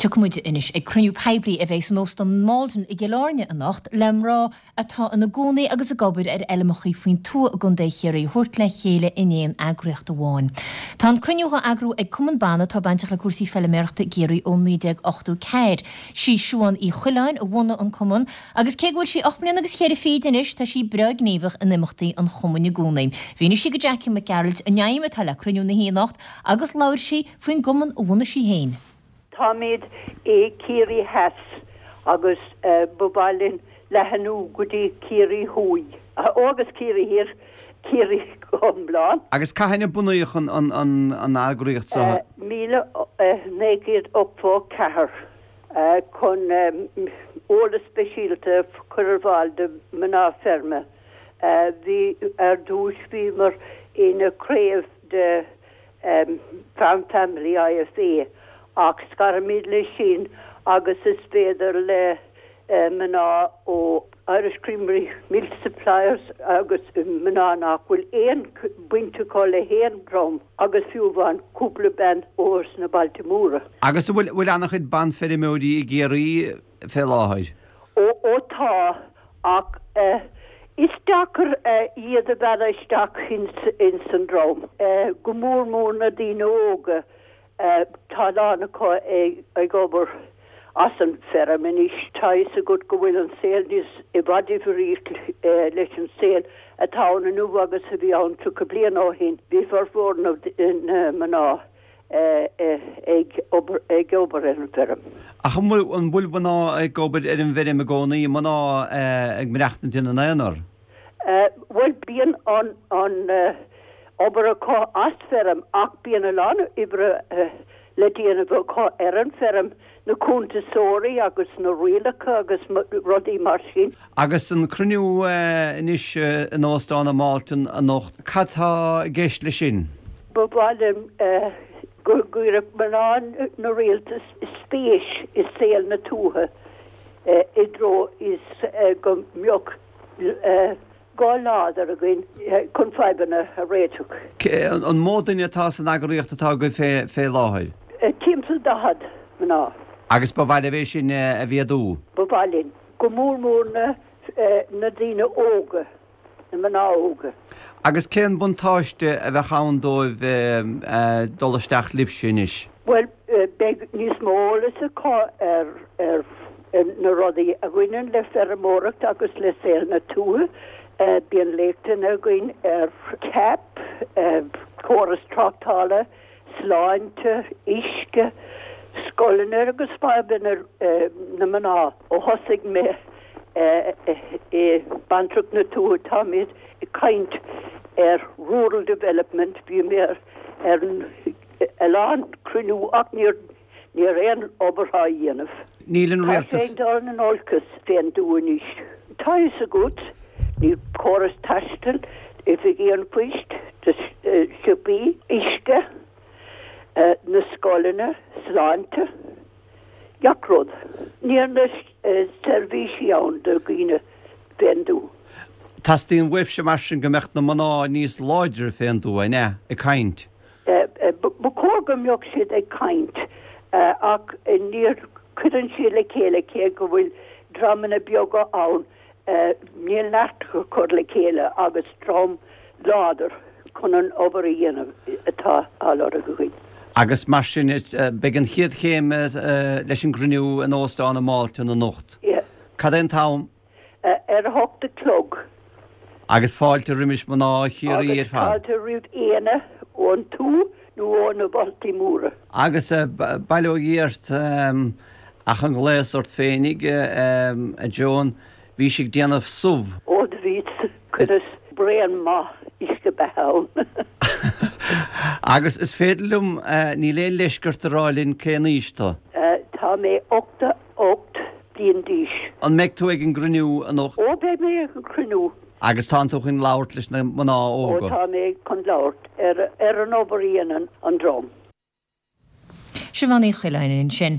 Tiocfaidh muid anois ag cruinniú poiblí a bheidh san Óstán Maldon i gCill Airne anocht le mná atá ina gcónaí agus ag obair ar fheilmeacha faoin tuath i gContae Chiarraí a thabhairt le chéile in aon eagraíocht amháin. Tá an cruinniú á eagrú ag Cumann Ban atá bainteach le cúrsaí feiliméarachta i gCiarraí ó 1984. Sí Siuán Uí Choileáin a bhunaigh an cumann agus cé go bhfuil sí 8 mbliana agus cheithre fichid anois tá sí breá gníomhach in imeachtaí an chumainn i gcónaí. Mhínigh sí go Jackie Mac Gearailt an aidhm atá le cruinniú na hoíche anocht agus labhair sí faoin gcumann a bhunaigh sí féin. Táimid i Ciarraí Theas agus ba mhaith linn leathanú go dtí Ciarraí Thuaidh. Ó agus Ciarraí Thiar, Ciarraí go hiomlán. Agus cathain a bunaíodh an eagraíocht seo? 1984 chun eolas speisialta a chur ar fáil do mhná feirme. Bhí, ar dtús bhíomar ina craobh de Farm Family IFA ach scarimid leis sin agus is féidir le mná ó Irish Creamery Milk Suppliers agus mná nach bhfuil aon baint acu le haon dream agus fiú amháin cúpla bean ó sna bailte móra. Agus an bhfuil an-chuid banfheirmeoirí i gCiarraí fé láthair? Ó, ó tá, ach is deacair iad a mhealladh isteach ins an dream, go mór mór na daoine óga. Tá a lán acu ag obair as an bhfeirm anois. Tá a fhios agat go bhfuil an saol níos, i bhfad difríocht leis an saol atá ann inniu agus a bhí ann 30 bliain ó shin. Bhí formhór na mná ag obair ag obair ar an bhfeirm. Ach an bhfuil an bhfuil mná ag obair ar an bhfeirm i gcónaí, mná ag maireachtaint ina n-aonar? Bhuel bíonn an an obair acu as feirm ach bíonn a lán oibre le déanamh acu ar an bhfeirm, na cuntasóirí agus na rialacha agus rudaí mar sin. Agus an cruinniú anois in Óstán an Maldon anocht, cad tá i gceist leis sin? Ba mhaith liom go gcuirfeadh mná na rialtas spéis i saol na tuaithe i dtreo is go mbeadh guth láidir againn chun fadhbanna a réiteach. An mó duine atá san eagraíocht atá agaibh fé láthair? Timpeall 40 mná. Agus ba mhaith libh é sin a mhéadú? Ba mhaith linn. Go mór mór na na daoine óga, na mná óga. Agus cén buntáiste a bheadh ann dóibh dul isteach libhse anois? Bhuel, beidh níos mó eolas acu ar ar na rudaí a bhaineann le feirmeoireacht agus le saol na tuaithe. Bíonn léachtanna againn ar CAP, córas tráchtála, sláinte, uisce, scoileanna agus fadhbanna na mná. Ó thosaigh mé i Bantracht na Tuaithe táimid ag caint ar rural development, bhí mé ar a lán cruinniú ach níor Níl aon obair á dhéanamh. Níl an rialtas. Tá sé ag dul in olcas fén dtuath anois. Tá fhios agat, níl córas taistil, oifigí an phoist, siopaí, uisce, na scoileanna, sláinte, gach rud. Níl na seirbhísí ann do dhaoine fén dtuath. Teastaíonn uaibhse mar sin go mbeadh na mná níos láidre fén dtuath, an ea, ag caint? Ba chóir go mbeadh siad ag caint ach níor cuireann siad le chéile cé go bhfuil dreamanna beaga ann níl neart acu cur le chéile agus dream láidir chun an obair a dhéanamh atá á lorg againn. Agus mar sin beidh an chéad chéim leis an gcruinniú in Óstán an Maldon anocht. Cad é an t-am? Ar a hocht a chlog. Agus fáilte roimis mná Chiarraí ar fad. Agus fáilte roimh éinne ón tuath nó ó na bailte móra. Agus bail ó Dhia ort ach an gléas ort féinig, a Joan, bhís ag déanamh subh. Ó do bhíos, chuireas braon maith uisce beatha ann. Agus is féidir liom, níl aon leisc ort a rá linn cén aois tú? Tá mé 88 bliain d'aois. An mbeidh tú ag an gcruinniú anocht? Ó, beidh mé ag an gcruinniú. Agus tánn tú chun labhairt leis na mná óga? Ó, tá mé chun labhairt ar an obair a dhéanann an dream. Siobhán Uí Choileáin ansin.